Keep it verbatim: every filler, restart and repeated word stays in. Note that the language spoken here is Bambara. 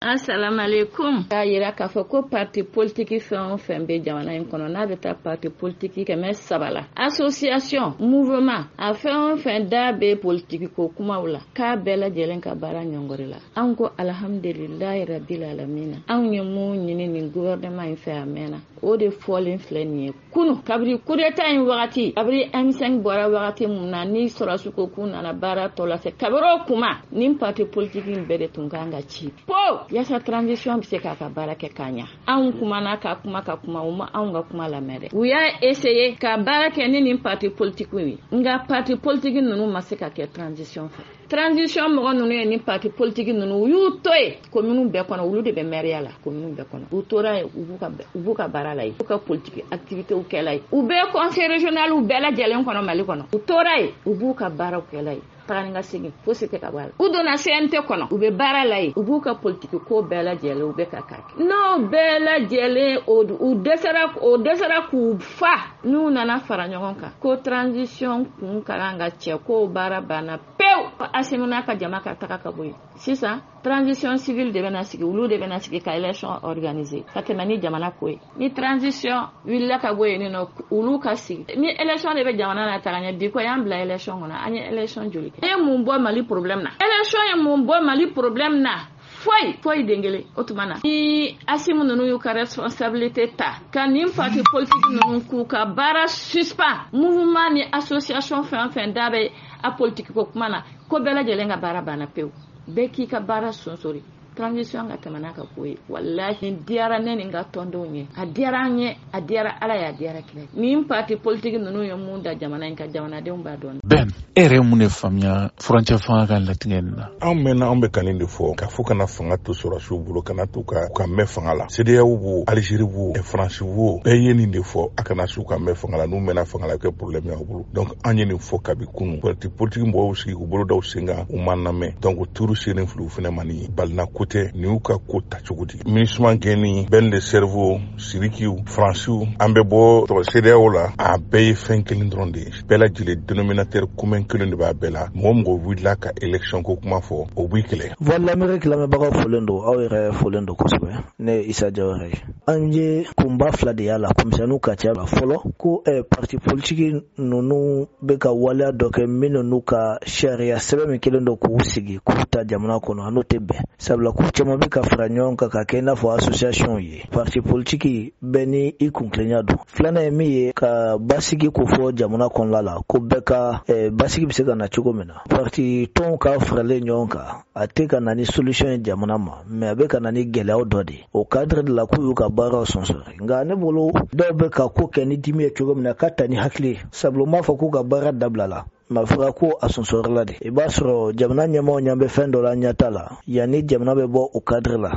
Asalaamaaleykum. K'a yira k'a fɔ ko parti politique fɛn o fɛn bɛ jamana in kɔnɔ, n'a bɛ taa parti politique kɛmɛ saba la, association, mouvement, a fɛn o fɛn da bɛ politique ko kumaw la, k'a bɛɛ lajɛlen ka baara ɲɔngɔri la. Anw ko alhamdulilayi rabil alamina. Anw ye mun ɲini nin gouvernement in fɛ, a mɛnna, o de fɔlen filɛ nin ye. Kunu, kabiri coup d'état in wagati, kabiri M cinq bɔra wagati mun na, ni sɔrɔsi ko k'u nana baara tɔ lase, kabiri o kuma, nin parti politique in bɛɛ de tun kan ka ci po yaasa transition bɛ se k'a ka baara kɛ k'a ɲa. Anw kumana ka kuma ka kuma, u ma anw ka kuma lamɛn dɛ. U y'a essayer ka baara kɛ ni nin parti politique ye, nka parti politique ninnu ma se ka kɛ transition fɛ. Transition mɔgɔ ninnu ye nin parti politique ninnu, u y'u to yen commune bɛɛ kɔnɔ. Olu de bɛ maire la commune bɛɛ kɔnɔ. U tora yen, u b'u ka u b'u ka baara la yen, u ka politique activité kɛla yen. U bɛ conseil régional bɛɛ lajɛlen kɔnɔ Mali kɔnɔ. U tora yen, u b'u ka baaraw kɛla yen, taga ni ka segin fosi tɛ ka bɔ a la. U donna C N T kɔnɔ, u bɛ baara la yen, u b'u ka politiki ko bɛɛ lajɛlen, u bɛ ka k'a kɛ. N'o bɛɛ lajɛlen, u dɛsɛra, o dɛsɛra k'u fa, n'u nana fara ɲɔgɔn kan ko transition kun ka kan ka cɛ, k'o baara banna pewu. Asimi n'a ka jama ka taga ka bɔ yen. Sisan transition civile de bɛna sigi, olu de bɛna sigi ka élection organiser ka tɛmɛ ni jamana ko ye. Ni transition wulila ka bɔ yen nɔ, olu ka sigi ni élection de bɛ jamana na taga ɲɛ. Bi ko y'an bila élection kɔnɔ, an ye élection joli kɛ? E ye mun bɔ Mali problème na? Élection ye mun bɔ Mali problème na? Foyi, foyi den kelen. O tuma na, ni Asimu ninnu y'u ka responsabilité ta ka nin parti politique ninnu k'u ka baara suspend, mouvement ni association fɛn o fɛn da bɛ a politique ko kuma na, ko bɛɛ lajɛlen ka baara banna pewu, bɛɛ k'i ka baara sonsori, transition ka tɛmɛ n'a ka ko ye. Walahi, nin diyara ne ni n ka tɔndenw ye, a diyara an ye, a diyara Ala ye, a diyara kira. Nin parti politique ninnu ye mun da jamana in ka, jamanadenw b'a dɔn. Ben, e yɛrɛ ye mun de faamuya furancɛ fanga ka latigɛ nin na? Anw mɛnna, anw bɛ ka nin de fɔ k'a fɔ kana fanga to sɔrɔsiw bolo, kana to ka ka mɛn fanga la. CEDEAO b'o, Algérie b'o, Faransi b'o, bɛɛ ye nin de fɔ: a kana s'u ka mɛn fanga la. N'u mɛnna fanga la, kɛ problème y'aw bolo. Donc an ye nin fɔ kabi kunu. Parti politique mɔgɔw sigi k'u bolo da sen kan, u ma lamɛn. Donc turu sennen fili, u fɛnɛ ma. Nin balina ko tɛ, nin y'u ka ko ta cogo di? MINUSMA gɛnni, Ben le Cerveau, Sirikiw, Faransiw, an bɛ bɔ tɔgɔ CEDEAO la, a bɛɛ ye fɛn kelen dɔrɔn de ye. Bɛɛ lajɛlen dénominateur commun kelen de b'a bɛɛ la. Mɔgɔ mɔgɔ wulila ka élection ko kuma fɔ, o b'i kɛlɛ. Voix de l'Amérique lamɛnbagaw folen don, aw yɛrɛ folen don kosɛbɛ. Ne ye Isa Jawara ye. An ye kunba fila de y'a la, komisɛnninw ka ca la. Fɔlɔ, ko eh, parti politique ninnu bɛ ka waleya dɔ kɛ minnu n'u ka sariya sɛbɛn min kelen don k'u sigi k'u ta jamana kɔnɔ, a n'o tɛ bɛn, sabula k'u caman bɛ ka fara ɲɔgɔn kan ka kɛ i n'a fɔ association ye. Parti politique bɛɛ ni i kuntilenya don. Filanan ye min ye, ka basigi ko fɔ jamana kɔnɔna la, ko bɛɛ ka eh, basigi bɛ se ka na cogo min na. Parti tɔnw ka faralen ɲɔgɔn kan, a tɛ ka na ni solution ye jamana ma, mais a bɛ ka na ni gɛlɛyaw dɔ de ye. O cadre de la, k'u y'u ka baaraw sɔnsɔrɔ. Nka ne bolo, dɔw bɛ ka ko kɛ ni dimi ye cogo min na, ka ta ni hakili ye, sabula u m'a fɔ k'u ka baara dabila la, ma fɔra ko a sɔnsɔrɔla de. I b'a sɔrɔ jamana ɲɛmaaw ɲɛ bɛ fɛn dɔ la, ɲɛ t'a la yanni jamana bɛ bɔ o cadre la.